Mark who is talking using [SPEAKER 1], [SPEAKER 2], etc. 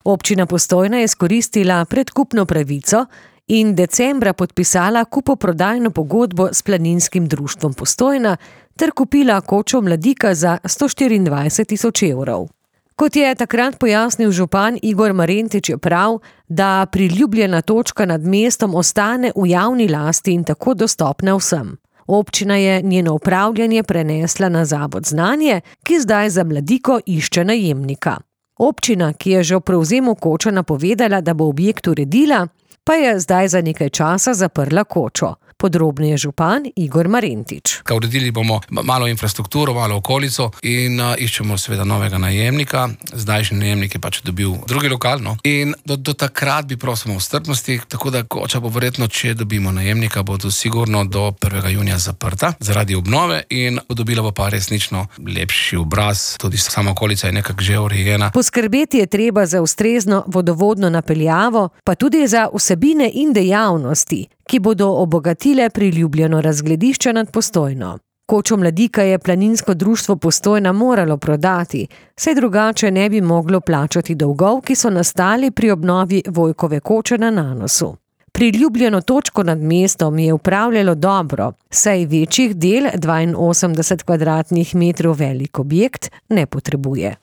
[SPEAKER 1] Občina Postojna je izkoristila predkupno pravico in decembra podpisala kupoprodajno pogodbo s Planinskim društvom Postojna ter kupila kočo Mladika za 124 000 evrov. Kot je takrat pojasnil župan Igor Marentič, je prav, da priljubljena točka nad mestom ostane v javni lasti in tako dostopna vsem. Občina je njeno upravljanje prenesla na Zavod Znanje, ki zdaj za Mladiko išče najemnika. Občina, ki je že v prevzemu koče napovedala, da bo objekt uredila, pa je zdaj za nekaj časa zaprla kočo. Podrobneje župan Igor Marentič.
[SPEAKER 2] Uredili bomo malo infrastrukturo, malo okolico in iščemo seveda novega najemnika. Zdajšnji najemnik je pač dobil drugi lokal, no. In do takrat bi prosimo v strpnosti, tako da koča bo verjetno, če dobimo najemnika, bo to sigurno do 1. junija zaprta zaradi obnove in dobila bo pa resnično lepši obraz. Tudi sama okolica je nekako že urejena.
[SPEAKER 1] Poskrbeti je treba za ustrezno vodovodno napeljavo, pa tudi za vsebine in dejavnosti, ki bodo obogatile priljubljeno razgledišče nad Postojno. Kočo Mladika je Planinsko društvo Postojna moralo prodati, saj drugače ne bi moglo plačati dolgov, ki so nastali pri obnovi Vojkove koče na Nanosu. Priljubljeno točko nad mestom je upravljalo dobro, saj večjih del 82 kvadratnih metrov velik objekt ne potrebuje.